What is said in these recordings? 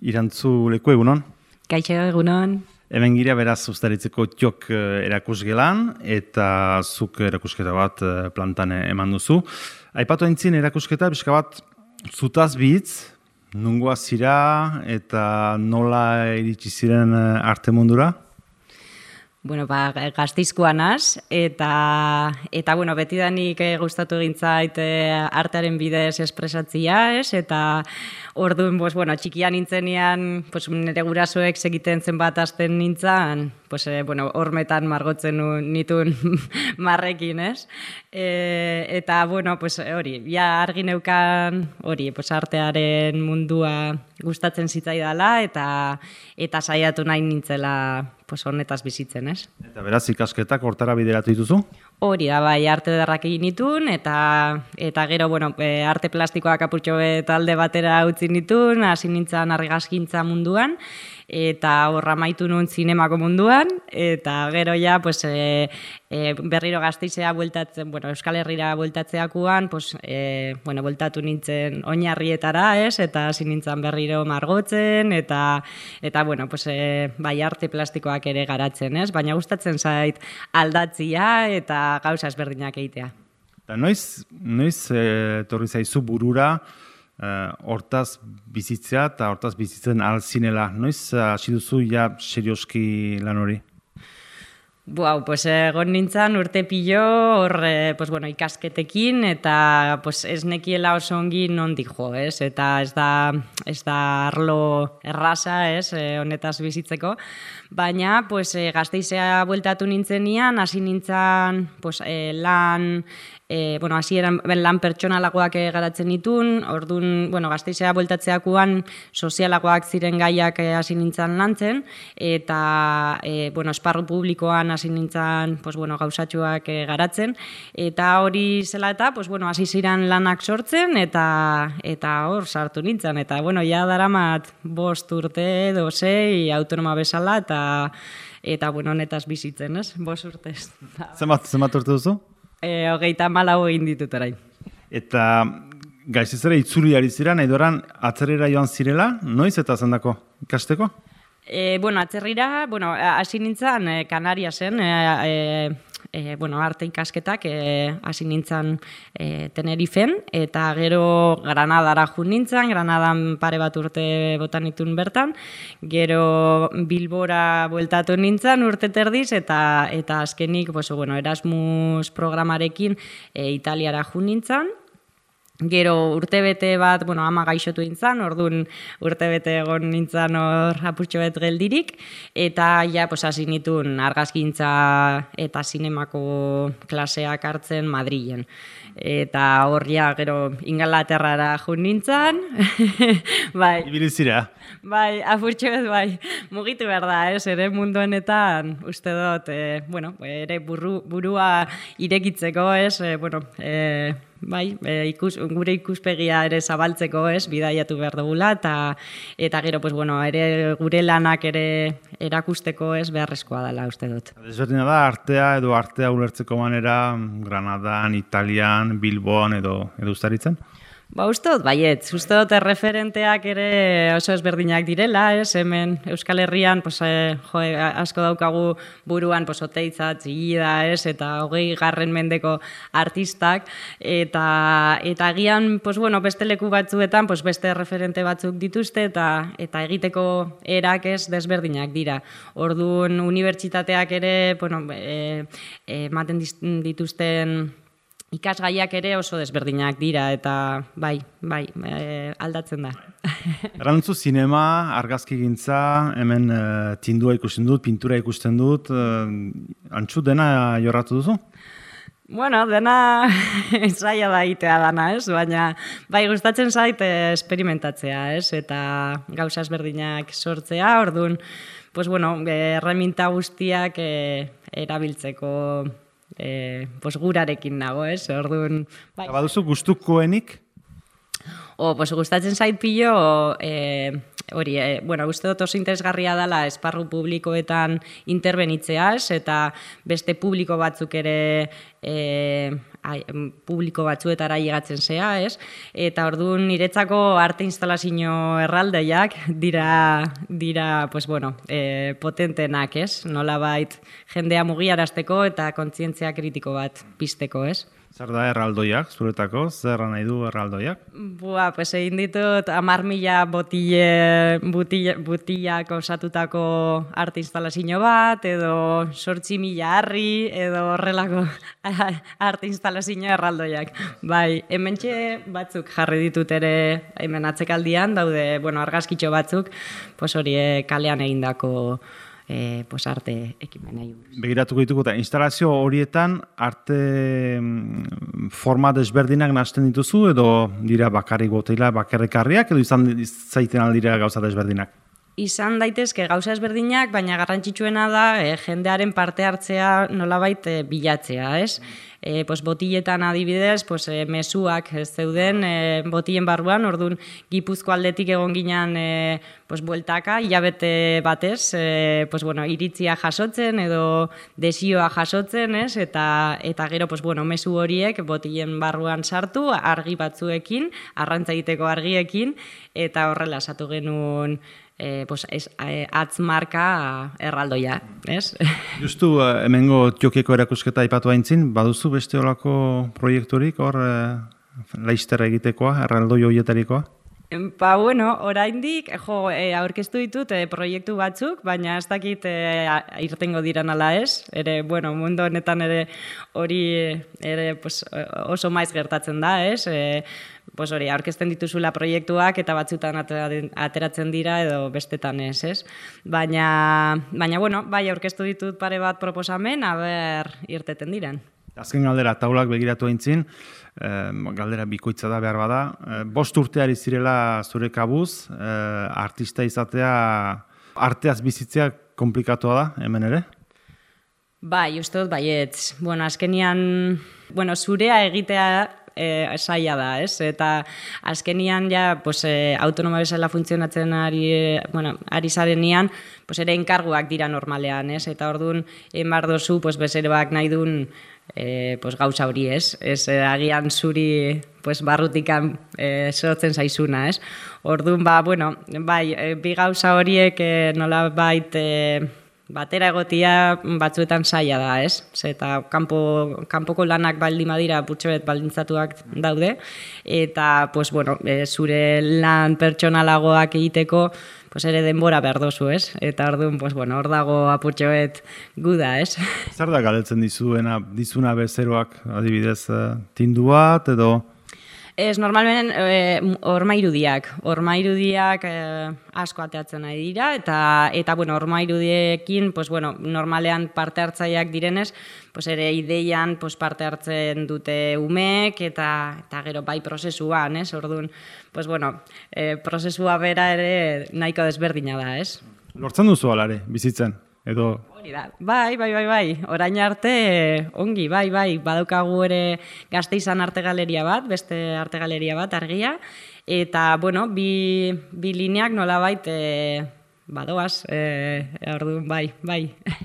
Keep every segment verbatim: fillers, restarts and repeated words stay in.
Irantzu leku egunon. Kaixo egunon. Hemen gira beraz Uztaritzeko Txok erakusgelan eta zuk erakusketa bat plantan eman duzu. Aipatu aintzin erakusketa pixka bat zutaz bitz, nungoa zira eta nola iritsi ziren arte mundura? Bueno, ba, Gasteizkoa naz, eta, eta bueno, betidanik eh, gustatu egintzait eh, artearen bidez espresatzia, ez? Eta orduan, pues, bueno, txikian nintzenean, pues, nire gurasoek segiten zenbat hasten nintzen, pues, eh, bueno, hormetan margotzen nituen marrekin, ez? E, eta, bueno, pues, hori, ja argi neukan, hori, pues, artearen mundua gustatzen zitzaidala, eta, eta saiatu nahi nintzela, pues honetaz bizitzen, ez? Eta beraz ikasketak hortara bideratu dituzu? Hori da, bai, arte ederrak egin nituen, eta, eta gero, bueno, e, arte plastikoak apurtxo talde batera utzi nituen, hasi nintzen argazkintza munduan, eta horra maitu nuen zinemako munduan, eta gero ja, pues, e, e, berriro Gasteizea bueltatzen, bueno, Euskal Herrira bueltatzeakuan, pues, e, bueno, bueltatu nintzen oinarrietara, ez? Eta hasi nintzen berriro margotzen, eta, eta bueno, pues, e, bai, arte plastikoak ere garatzen, ez? Baina gustatzen zait aldatzia eta gauza ezberdinak egitea. Eta noiz, noiz e, torri zaizu burura hortaz bizitzea eta hortaz bizitzen alzinela. Noiz hasi duzu ja serioski lan hori? Buau, pues egon nintzen urte pilo hor, pues, bueno, ikasketekin eta pues, ez nekiela oso ongi nondik jo, ez? Eta ez da, ez da arlo erraza, ez, honetaz bizitzeko. Baina, pues, Gasteizea bueltatu nintzenian, hasi nintzen pues, lan, e, bueno, hasi eran lan pertsonalagoak garatzen nituen, orduan, bueno, Gasteizea bueltatzeakuan sozialagoak ziren gaiak hasi nintzen lantzen, eta, e, bueno, esparru publikoan hasi nintzen, pues, bueno, gauzatxoak garatzen, eta hori zela eta, pues, bueno, hasi ziren lanak sortzen, eta, eta hor sartu nintzen, eta, bueno, ja daramat bost urte edo sei autonoma bezala, eta eta, bueno, honetaz bizitzen, ez? Bost urtez. Zenbat, zenbat urte duzu? E, hogeita malau egin ditut orain. Eta Gasteizera itzuli ari zira, nahi doran atzerrera joan zirela, noiz eta zendako ikasteko? E, bueno, atzerrira, bueno, hasi nintzen e, Kanariasen, e, e, bueno, arte ikasketak e, hasi nintzen e, Tenerifen, eta gero Granadara jun nintzen, Granadan pare bat urte botan nituen bertan, gero Bilbora bueltatu nintzen urte terdiz, eta, eta azkenik, pues, bueno, Erasmus programarekin e, Italiara jun nintzen. Gero urtebete bat, bueno, ama gaixotu nintzen, orduan urtebete egon nintzen hor apurtxo bet geldirik, eta ja, pues, hasi nituen argazkintza eta zinemako klaseak hartzen Madrilen. Eta hor ja, gero Ingalaterrara jun nintzen, bai. Ibilizira. Bai, apurtxo bet, bai, mugitu behar da, ez, ere mundu honetan, uste dut, e, bueno, ere burru, burua irekitzeko, ez, e, bueno, e, bai, e, ikus, gure ikuspegia ere zabaltzeko, ez, bidaiatu behar dugula, eta, eta gero, pues, bueno, ere gure lanak ere erakusteko, ez, beharrezkoa dela, uste dut. Desberdina da, artea edo artea ulertzeko manera Granadan, Italian, Bilboan edo, edo Uztaritzen? Ba, uste dut, baiet, uste dut erreferenteak ere oso ezberdinak direla, ez, hemen Euskal Herrian, pues, eh, jo, asko daukagu buruan, pues, Oteitza, Txillida, ez, eta hogei garren mendeko artistak, eta, eta agian, pues, bueno, beste leku batzuetan, pues, beste referente batzuk dituzte, eta, eta egiteko erak ez desberdinak dira. Orduan, unibertsitateak ere, bueno, e, e, ematen dituzten ikasgaiak ere oso desberdinak dira, eta bai, bai, e, aldatzen da. Errantzu zinema, argazkigintza, hemen e, tindua ikusten dut, pintura ikusten dut, e, antxu dena jorratu duzu? Bueno, dena zaila da egitea dana, ez? Baina bai, gustatzen zait esperimentatzea, ez? Eta gauza ezberdinak sortzea, orduan, pues bueno, erreminta guztiak e, erabiltzeko E, pues gurarekin nago, ez? Orduan, bai. Baduzu gustukoenik? O, pues gustatzen zait pilo, e, hori, e, bueno, uste dut oso interesgarria dela esparru publikoetan interbenitzea, ez? Eta beste publiko batzuk ere e, ai, publiko batzuetara llegatzen zea, ez? Eta orduan niretzako arte instalazio erraldoiak dira, dira pues bueno, e, potentenak, ez? Nolabait jendea mugiarazteko eta kontzientzia kritiko bat pizteko, ez? Zer da erraldoiak, zuretako? Zer nahi du erraldoiak? Bua, pues egin ditut hamar mila botille, botille, botillak osatutako arte instalazio bat, edo sortzi mila harri, edo horrelako arte instalazio erraldoiak. Bai, hementxe batzuk jarri ditut ere hemen atzekaldian, daude, bueno, argazkitxo batzuk, pues hori kalean egindako E, pues arte ekimenei. Begiratuko dituko eta instalazio horietan arte forma desberdinak nahasten dituzu edo dira bakarrik botila, bakarrikarriak edo izan zaiten aldira gauza desberdinak? Izan daitezke gauza ezberdinak, baina garrantzitsuena da e, jendearen parte hartzea nolabait e, bilatzea, ez? E, pues, botiletan adibidez, pues, e, mezuak ez zeuden e, botilen barruan, orduan Gipuzko aldetik egon ginen e, pues, bueltaka, hilabete batez, e, pues, bueno, iritzia jasotzen edo desioa jasotzen, ez? Eta, eta gero, pues, bueno, mezu horiek botilen barruan sartu, argi batzuekin, arrantza egiteko argiekin, eta horrela esatu genuen E, pues, ez, e, atzmarka erraldoia, ez? Justu, uh, hemengo Tiokieko erakusketa aipatu aintzin, baduzu beste olako proiekturik, hor, uh, laizterra egitekoa, erraldoi horietarikoa? Ba, bueno, oraindik, jo, e, aurkeztu ditut e, proiektu batzuk, baina ez dakit e, irtengo diran ala ez, ere, bueno, mundu honetan ere hori ere, pues, oso maiz gertatzen da, ez? E, pues hori, aurkezten dituzula proiektuak eta batzutan ateratzen dira edo bestetan ez, ez? Baina, baina bueno, bai, aurkeztu ditut pare bat proposamen, aber irteten diren. Azken galdera, taulak begiratu aintzin, eh, galdera bikoitza da behar bada. Eh, bost urteari zirela zure kabuz, eh, artista izatea, arteaz bizitzea komplikatua da, hemen ere? Bai, uste dut baietz. Bueno, azkenian, bueno, zurea egitea E, saia da, ez? Eta azkenian ja, pues, e, autonoma bezala funtzionatzen ari, e, bueno, ari zarenean, pues, ere enkarguak dira normalean, ez? Eta orduan, emar dozu, pues, bezeroak nahi duen e, pues, gauza hori, ez? Ez e, agian zuri pues, barrutikan e, sortzen zaizuna, ez? Orduan, ba, bueno, bai, e, bi gauza horiek e, nola bait e, batera egotia batzuetan saia da, ez? Eta kanpo, kanpoko lanak baldin badira putxoet baldintzatuak daude, eta pues, bueno, e, zure lan pertsonalagoak egiteko pues, ere denbora behar dozu, ez? Eta orduan, pues, bueno, hor dago apurtxoet guda, ez? Zer da galetzen dizuena, dizuna bezeroak, adibidez, tindu bat edo? Ez, normalmen, horma irudiak. Horma irudiak eh, asko ateatzen nahi dira, eta, eta bueno, horma irudiekin, pues, bueno, normalean parte hartzaileak direnez, pues, ere ideian pues, parte hartzen dute umek, eta, eta gero bai prozesuan, ez? Orduan, pues, bueno, eh, prozesua bera ere nahiko desberdina da, ez? Lortzen duzu alare, bizitzen, edo? Hori da, bai, bai, bai, bai, orain arte ongi, bai, bai, badaukagu ere Gasteizan arte galeria bat, beste arte galeria bat, argia, eta, bueno, bi, bi lineak nolabait e, badoaz, e, orduan, bai, bai.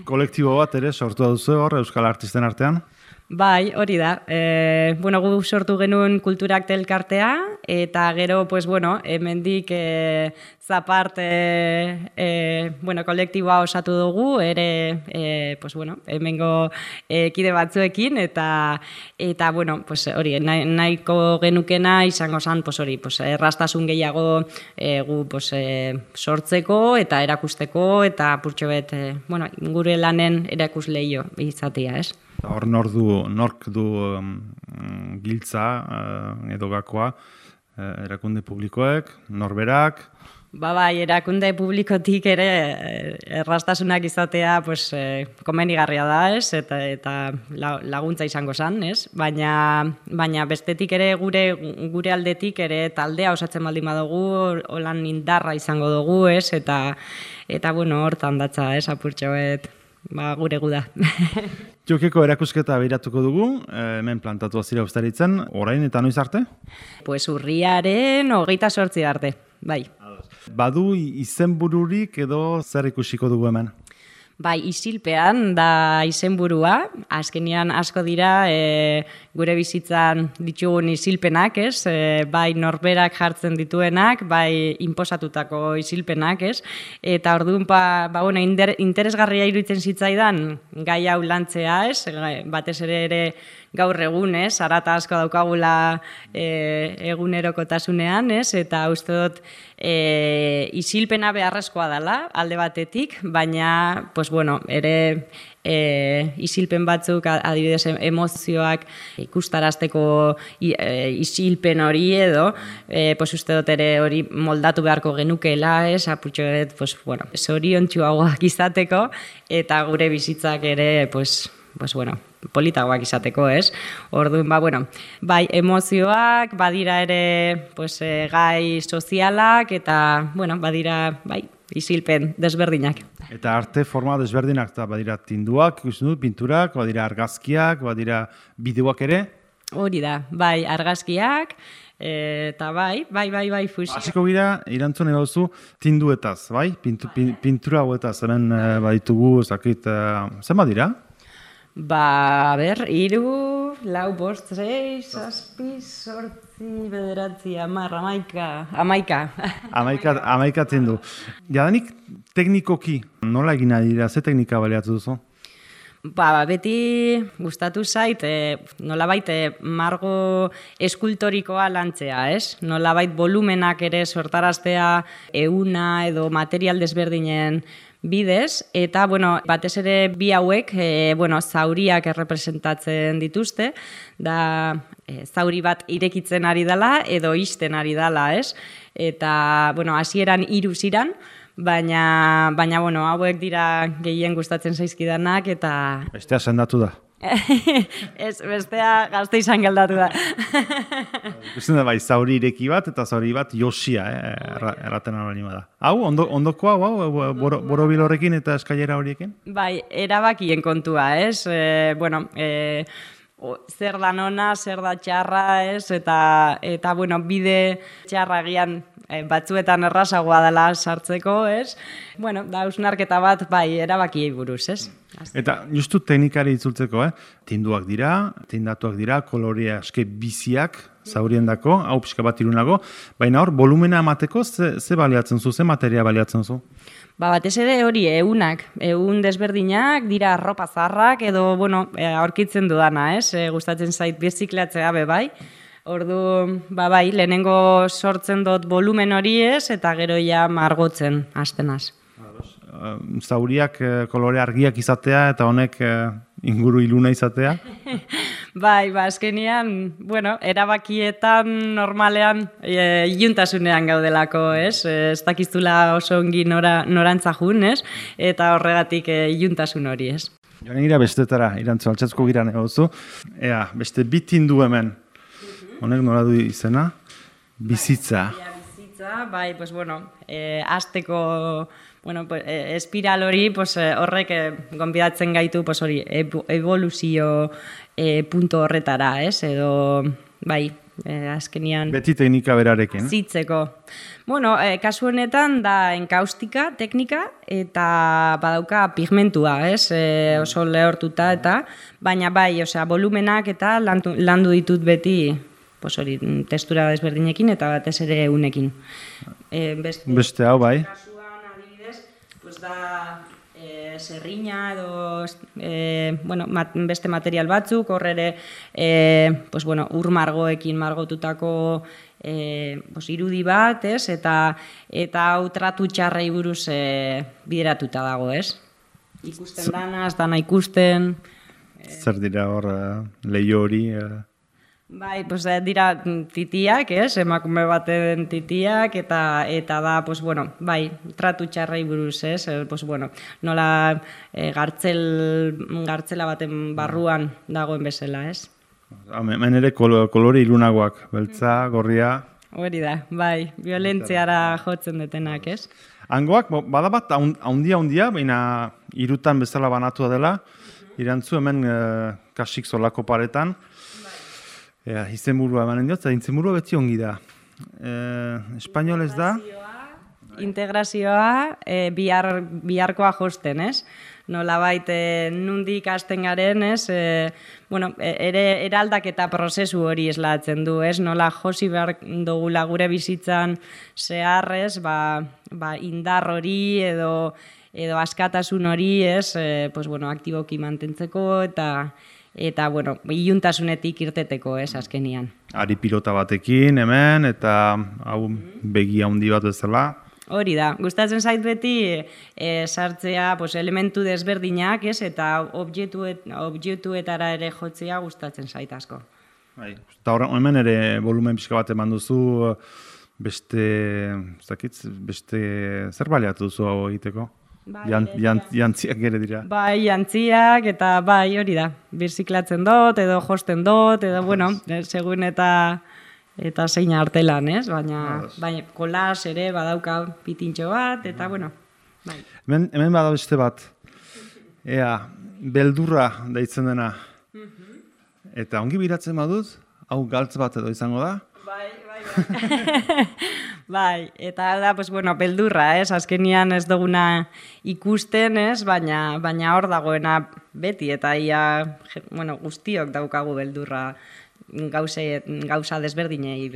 Kolektibo bat ere sortu duzu hor, Euskal Artisten artean? Bai, hori da. E, bueno, gu sortu genuen kulturak elkartea, eta gero, pues, bueno, hemendik e, zapart e, e, bueno, kolektiboa osatu dugu, ere, e, pues, bueno, hemengo e, kide batzuekin, eta, eta bueno, pues, hori, nahiko genukena izango zen, pues, hori, pues, errastasun gehiago e, gu pues, e, sortzeko, eta erakusteko, eta purtxo bet, e, bueno, gure lanen erakusleio izatea, ez? Hor nor du, nork du um, giltza uh, edo gakoa, uh, erakunde publikoek, norberak? Ba, bai, erakunde publikotik ere errastasunak izatea pues, eh, komenigarria da, ez? Eta, eta laguntza izango zen, ez? Baina, baina bestetik ere gure, gure aldetik ere taldea osatzen baldin badugu, holan indarra izango dugu, ez? Eta, eta bueno, hortan datza, ez? Apurtxoet, ba, gure guda. Tiokieko erakusketa behiratuko dugu, hemen plantatu azira ustaritzen, orain eta noiz arte? Pues urriaren hogeita sortzi arte, bai. Badu izenbururik edo zer ikusiko dugu hemen? Bai, isilpean da izenburua, azkenian asko dira e, gure bizitzan ditugun isilpenak, ez? E, bai norberak jartzen dituenak, bai inposatutako isilpenak, ez? Eta orduan, ba, ba bueno, inder, interesgarria iruditzen zitzaidan gai hau lantzea, ez? Batez ere ere gaur egun, ez? Arata asko daukagula e, egunerokotasunean, ez? Eta uste dut e, isilpena beharrezkoa dela, alde batetik, baina, pues bueno, ere e, isilpen batzuk, adibidez emozioak ikustarazteko e, isilpen hori edo, e, pues uste dut ere hori moldatu beharko genukeela, ez? Apurtxoet, pues bueno, zoriontsuagoak izateko, eta gure bizitzak ere, pues, pues bueno, politagoak izateko, ez? Orduan, ba, bueno, bai emozioak, badira ere pues, e, gai sozialak, eta, bueno, badira, bai, isilpen desberdinak. Eta arte forma desberdinak, eta badira tinduak, ikusten dut, pinturak, badira argazkiak, badira bideoak ere? Hori da, bai, argazkiak, eta bai, bai, bai, bai, fusio. Hasiko gira, irantzun egauzu, tinduetaz, bai? Pintu, pin, pintura hauetaz, hemen e, baditugu, zakit, e, zen badira? Ba, ber, iru, lau, bost, zei, zazpi, sortzi, bederatzi, amar, amaika, amaika. Amaika, amaika tindu. Jadanik teknikoki, nola egin nahi dira, ze teknika baliatu duzu? Ba, beti gustatu zait, e, nolabait e, margo eskultorikoa lantzea, ez? Nolabait volumenak ere sortaraztea euna edo material desberdinen bidez, eta, bueno, batez ere bi hauek, e, bueno, zauriak errepresentatzen dituzte, da e, zauri bat irekitzen ari dela edo ixten ari dela, ez? Eta, bueno, hasieran hiru ziran, baina, baina, bueno, hauek dira gehien gustatzen zaizkidanak, eta... Bestea sendatu da. Ez, bestea gazte izan geldatu da. Ikusten da bai, zauri ireki bat eta zauri bat josia, eh, erraten hori da. Hau, ondo, ondoko hau, hau, boro, borobil horrekin eta eskailera horiekin? Bai, erabakien kontua, ez? E, bueno, e, o, zer da nona, zer da txarra, ez? Eta, eta bueno, bide txarra gian e, batzuetan errazagoa dela sartzeko, ez? Bueno, da hausnarketa bat, bai, erabakiei buruz, ez? Eta justu teknikari itzultzeko, eh? Tinduak dira, tindatuak dira, kolorea eske biziak zauriendako, hau pixka bat irunago, baina hor, volumena emateko ze, ze baliatzen zu, ze materia baliatzen zu? Ba, batez ere hori ehunak, ehun desberdinak, dira arropa zarrak edo, bueno, aurkitzen dudana, ez? E, gustatzen zait birziklatzea be bai. Ordu, ba bai, lehenengo sortzen dut volumen hori ez, eta gero ja margotzen hastenaz. Zauriak kolore argiak izatea eta honek inguru iluna izatea? Bai, ba, azkenian, bueno, erabakietan normalean e, iluntasunean gaudelako, ez? Ez dakiztula oso ongi nora, norantza jun, ez? Eta horregatik e, iluntasun hori, ez? Joan gira bestetara, irantzu, altsatzko gira negozu. Ea, beste bitindu hemen. Honek nola du izena? Bizitza. Bizitza, bai, pues bueno, e, azteko... Bueno, pues, eh, espiral hori pues, eh, horrek eh, gonbidatzen gaitu pues, hori, evoluzio eh, punto horretara, ez? Edo, bai, eh, azkenian... Beti teknika berarekin. Zitzeko. Bueno, eh, kasu honetan da enkaustika teknika eta badauka pigmentua, ez? Eh, oso lehortuta eta, baina bai, osea, volumenak eta landu, landu ditut beti pues, hori, testura desberdinekin eta batez ere unekin. Eh, beste, beste hau, bai. Pues da e, zerrina edo e, bueno, mat, beste material batzuk, horre ere e, pues, bueno, ur margoekin margotutako e, pues, irudi bat, ez? Eta, eta hau tratu txarrei buruz e, bideratuta dago, ez? Ikusten danaz, dana ikusten... E... Zer dira hor leio hori... E... Bai, pues, dira titiak, ez, emakume baten titiak, eta eta da, pues, bueno, bai, tratu txarrei buruz, ez, pues, bueno, nola e, gartzel, gartzela baten barruan dagoen bezala, ez. Hemen ere kolore ilunagoak, beltza, gorria... Hori da, bai, violentziara jotzen detenak, ez. Hangoak, bada bat, haundia-haundia, baina irutan bezala banatua dela, irantzu hemen e, kasik solako paretan, Ea, izenburua emanen diot, eta izenburua beti ongi da. E, Espainolez da? Integrazioa e, bihar, biharkoa josten, ez? nolabait e, nundik hasten garen, ez? E, bueno, ere eraldaketa prozesu hori eslatzen du, ez? Nola josi behar dugula gure bizitzan zeharrez, ba, ba indar hori edo edo askatasun hori, ez? E, pues bueno, aktiboki mantentzeko eta eta bueno, iluntasunetik irteteko, ez, azkenian. Ari pilota batekin hemen eta hau begi handi bat bezala. Hori da, gustatzen zait beti e, sartzea pues, elementu desberdinak, ez, eta objektuet, objektuetara ere jotzea gustatzen zait asko. Bai, eta hemen ere volumen pixka bat eman duzu, beste, zakitz, beste zer baliatu duzu hau egiteko? Bai, Jan, jan, jantziak ere dira. Bai, jantziak eta bai, hori da. Birziklatzen dut, edo josten dut, edo, bueno, segun eta eta zein artelan, ez? Baina, baina kolas ere badauka pitintxo bat, eta, bueno, bai. Hemen, hemen bada beste bat. Ea, beldurra deitzen dena. Eta ongi biratzen badut, hau galtz bat edo izango da? Bai, bai, bai. Bai, eta da, pues, bueno, beldurra, ez? Azkenian ez duguna ikusten, ez? Baina, baina hor dagoena beti, eta ia, bueno, guztiok daukagu beldurra gauze, gauza desberdinei,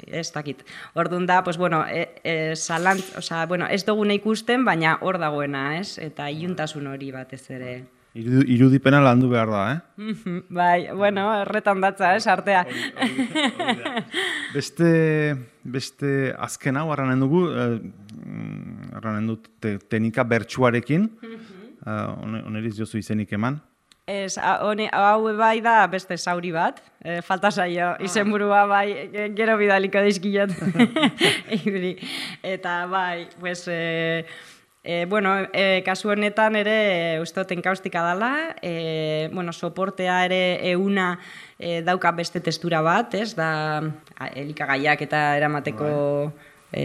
ez dakit. Orduan da, pues, bueno, e, e, salant, oza, bueno, ez duguna ikusten, baina hor dagoena, ez? Eta iluntasun hori batez ere. Irudipena landu behar da, eh? Bai, bueno, erretan datza, ez, artea. Beste, beste azken hau, arranen dugu, arranen dut teknika bertsuarekin, oneriz jozu izenik eman. Ez, hau bai da beste zauri bat, falta zaio, izenburua bai, gero bidaliko dizkiot. Eta bai, pues... E, bueno, e, kasu honetan ere e, ustot enkaustika dela, e, bueno, soportea ere euna e, dauka beste testura bat, ez, da elikagaiak eta eramateko, e,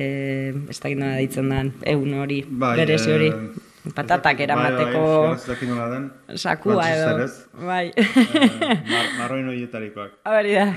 ez da gino ditzen den, eun hori, bai, berezi hori. E... Patatak eramateko sakua edo. Bai. Marroin horietarikoak. Hori da.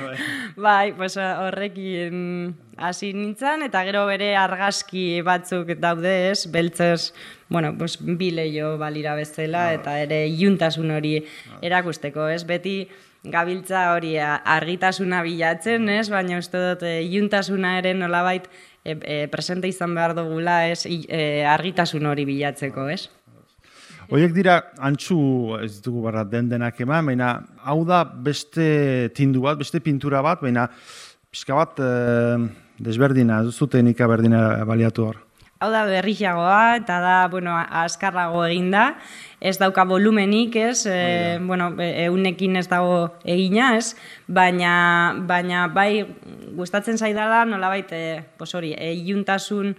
Bai, pues horrekin hasi nintzen, eta gero bere argazki batzuk daude, ez, beltzez, bueno, pues bi leio balira bezala, eta ere iluntasun hori erakusteko, ez, beti gabiltza hori argitasuna bilatzen, ez, baina uste dut iluntasuna ere nolabait E, e, presente izan behar dugula, ez, e, argitasun hori bilatzeko, ez? Horiek dira, antxu ez ditugu barra den denak eman, baina hau da beste tindu bat, beste pintura bat, baina pixka bat e, desberdina, ez duzu teknika berdina baliatu hor. Hau da berriagoa, eta da, bueno, azkarrago eginda, ez dauka volumenik, ez, e, bueno, eunekin ez dago egina, ez, baina, baina bai gustatzen zaidala nolabait, e, pues hori, e, iluntasun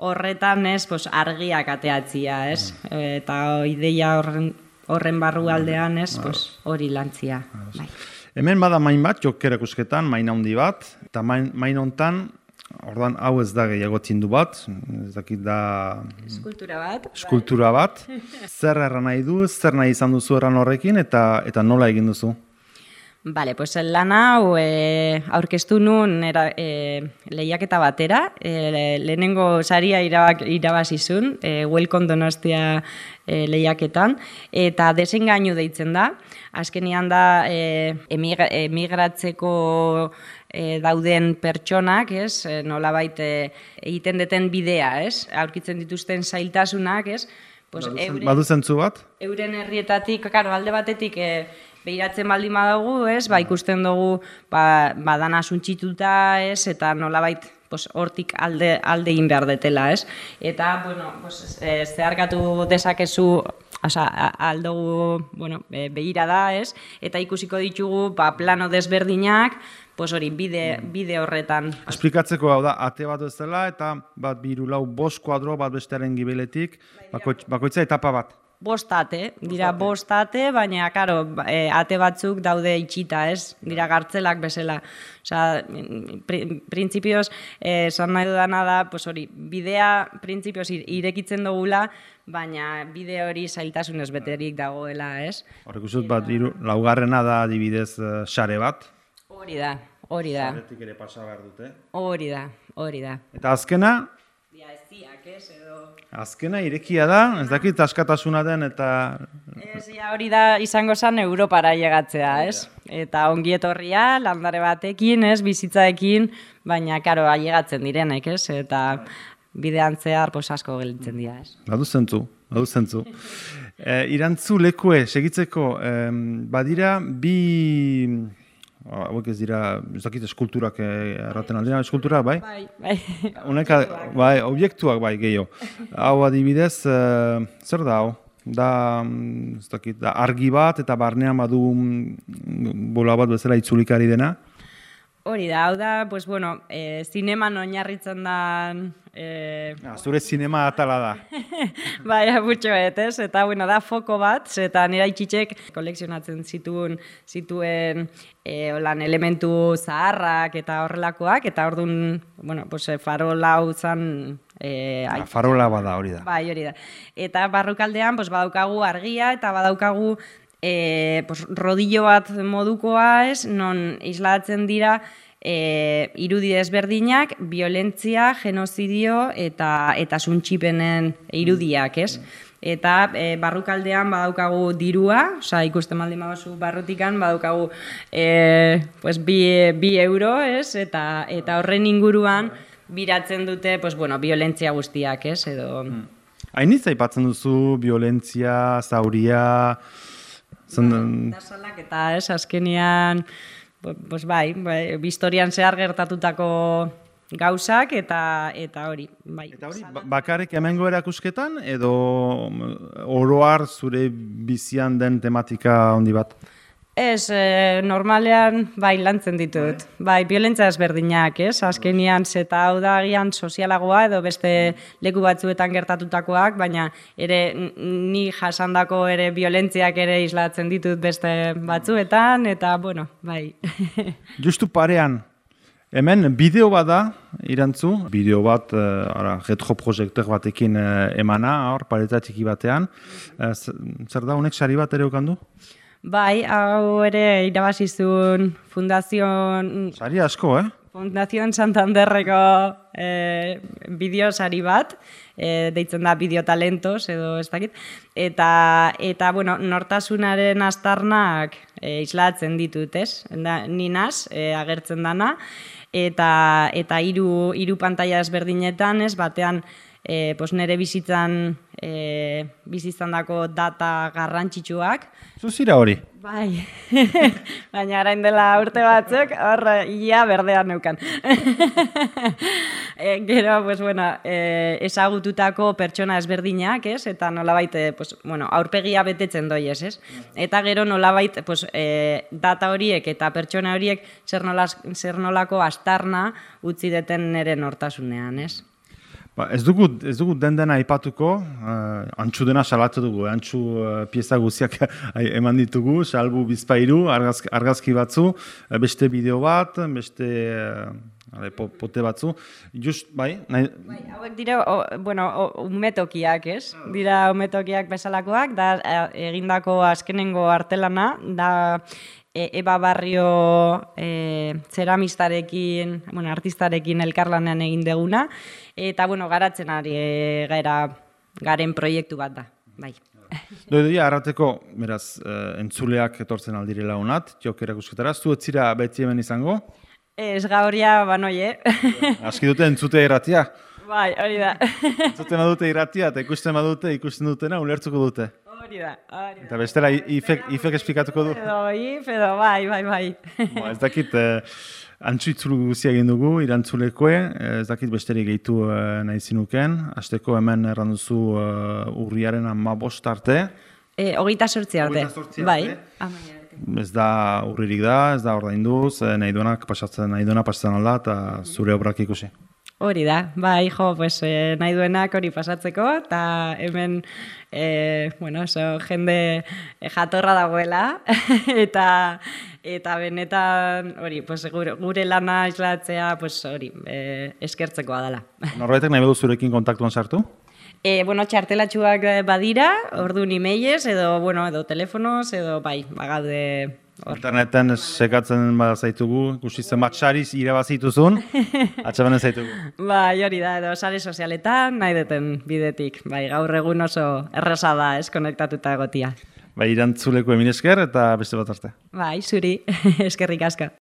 horretan, ez, pues argiak ateatzia, ez, e, eta ideia horren, horren barru aldean, ez, pues hori lantzia. Bai. Hemen bada main bat, jok erakusketan, main handi bat, eta main, main hontan, ordan hau ez da gehiago tindu bat, ez dakit da... Eskultura bat. Eskultura bat. Zer erran nahi du, zer nahi izan duzu erran horrekin, eta eta nola egin duzu? Bale, pues lan hau e, aurkeztu nun era, e, lehiaketa batera, e, lehenengo saria irabak, irabazizun, e, Welcome Donostia e, lehiaketan, eta desengainu deitzen da. Azkenian da e, emigra, emigratzeko e, dauden pertsonak, ez, e, nolabait e, egiten deten bidea, ez, aurkitzen dituzten zailtasunak, ez, pues, euren, badu zentzu bat? Euren herrietatik, karo, alde batetik, e, behiratzen baldin badugu, ez, ba, ikusten dugu, ba, badana suntsituta, ez, eta nolabait, pues, hortik alde, alde egin behar detela, ez. Eta, bueno, pues, e, zeharkatu dezakezu, oza, aldugu, bueno, e, behira da, ez, eta ikusiko ditugu, ba, plano desberdinak, pues hori, bide, bide horretan. Esplikatzeko hau da, ate bat ez dela, eta bat biru lau bost kuadro bat bestearen gibeletik, bakoitza etapa bat. Bost ate, dira bost ate, baina, karo, e, ate batzuk daude itxita, ez? Dira gartzelak bezala. Osa, pr printzipioz, esan nahi dudana da, pues hori, bidea printzipioz irekitzen dugula, baina bide hori zailtasunez beterik dagoela, ez? Horrek usut bat, iru, laugarrena da adibidez sare bat. Hori da, hori da. Saretik ere pasa behar dute. Hori da, hori da. Eta azkena, dia eziak, ez, edo... Azkena irekia da, ez dakit askatasuna den eta... Ez, ja, hori da izango zen Europara llegatzea, ez? Eta ongi etorria, landare batekin, ez, bizitzaekin, baina, karo, ailegatzen direnek, ez? Eta bidean zehar, pues, asko gelditzen dira, ez? Badu zentzu, badu zentzu. E, irantzu lekue, segitzeko, e, badira bi... Hauek ez dira, ez dakit eskulturak erraten aldira, eskulturak, bai? Bai, bai. Uneka, bai, objektuak bai gehiago. Hau adibidez, uh, zer da hau? Da, ez dakit, da argi bat eta barnean badu bola bat bezala itzulikari dena. Hori da, hau da, pues bueno, e, zineman oinarritzen da... E... Ah, zure zinema atala da. Bai, abutxoet, ez? Eta, bueno, da foko bat, eta nire itxitxek kolekzionatzen zituen, zituen e, olan elementu zaharrak eta horrelakoak, eta orduan, bueno, pues, farola hau zan... E, ah, farola bada hori da. Bai, hori da. Eta barrukaldean, pues, badaukagu argia, eta badaukagu... E, pues, rodillo bat modukoa, ez, non islatzen dira e, irudi desberdinak, violentzia, genozidio eta eta suntxipenen irudiak, ez? Eta e, barrukaldean badaukagu dirua, osea, ikusten baldin baduzu barrutikan, badaukagu e, pues, bi, bi euro, ez? Eta, eta horren inguruan biratzen dute, pues, bueno, violentzia guztiak, ez? Edo... Hainitz aipatzen duzu, violentzia, zauria... Eta salak eta ez, azkenean, pues bai, bai, historian zehar gertatutako gauzak eta eta hori, bai. Eta hori, bakarrik hemengo erakusketan edo oroar zure bizian den tematika handi bat? Ez, e, normalean, bai, lantzen ditut. Bai, violentzia ezberdinak, ez? Azkenian, zeta hau da agian sozialagoa edo beste leku batzuetan gertatutakoak, baina ere ni jasandako ere violentziak ere islatzen ditut beste batzuetan, eta, bueno, bai. Justu parean, hemen bideo bat da, irantzu, bideo bat, ara, retroprojektor batekin emana, hor, pareta txiki batean. Zer da, honek sari bat ere okandu? Bai, hau ere irabazizun fundazion... Sari asko, eh? Fundazion Santanderreko eh, bideosari bat, eh, deitzen da bideotalentos edo ez dakit, eta, eta bueno, nortasunaren astarnak eh, islatzen ditut, ez? Da, ninaz, eh, agertzen dana, eta, eta hiru, hiru pantaila ezberdinetan, ez, batean, E, pos nere bizitzan e, bizitzan dako data garrantzitsuak. Zuzira hori? Bai, baina arain dela urte batzuk, hor ia berdean neukan. e, gero, pues, bueno, e, ezagututako pertsona ezberdinak, ez? Eta nolabait, pues, bueno, aurpegia betetzen doiez, ez? Eta gero nolabait, pues, e, data horiek eta pertsona horiek zer, nolaz, zer nolako astarna utzi deten nere nortasunean, ez? Ba, ez dugu, ez dugu den dena aipatuko, uh, antxu dena salatu dugu, antxu uh, pieza guziak eman ditugu, salbu bizpairu, argazki, argazki batzu, beste bideo bat, beste uh, pote batzu. Just, bai, nahi... Bai, hauek dira, o, bueno, o, umetokiak, ez? Dira umetokiak bezalakoak, da egindako azkenengo artelana, da... Eba Barrio e, zeramistarekin, bueno, artistarekin elkarlanean egin deguna, eta, bueno, garatzen ari e, gara, garen proiektu bat da, bai. Doidoia, arrateko, beraz, entzuleak etortzen aldirela honat, jok erakusketara, zu etzira beti hemen izango? Ez gaurria, banoie. Aski dute entzute irratia? Bai, hori da. Entzuten badute irratia, eta ikusten badute, ikusten dutena, ulertzuko dute. Hori da, hori da. Eta bestela, ifek, ifek esplikatuko du? Edo, if, edo, bai, bai, bai. Bo, ez dakit, eh, antzu itzulu guzia egin dugu, irantzulekoe, ez dakit besterik gehitu eh, nahi zinuken, hasteko hemen erranduzu uh, urriaren hamabost arte. E, hogeita sortzi arte. Hogeita sortzi bai. arte. Ez da urririk da, ez da ordainduz, eh, nahi duenak pasatzen, nahi duena pasatzen alda, eta zure obrak ikusi. Hori da, bai, jo, pues, eh, nahi duenak hori pasatzeko, eta hemen, eh, bueno, so, jende jatorra dagoela, eta eta benetan, hori, pues, gure, gure lana islatzea, pues, hori, eh, eskertzekoa dela. Norbaitek nahi bedu zurekin kontaktuan sartu? E, bueno, txartelatxuak badira, orduan emailez, edo, bueno, edo telefonoz, edo, bai, bagaude hor. Interneten sekatzen bada zaitugu, ikusi zenbat sariz irabazituzun, atxabanen zaitugu. Bai, hori da, edo sare sozialetan, nahi duten bidetik. Bai, gaur egun oso erresa da, ez, konektatuta egotia. Bai, irantzuleko emil esker eta beste bat arte. Bai, zuri, eskerrik asko.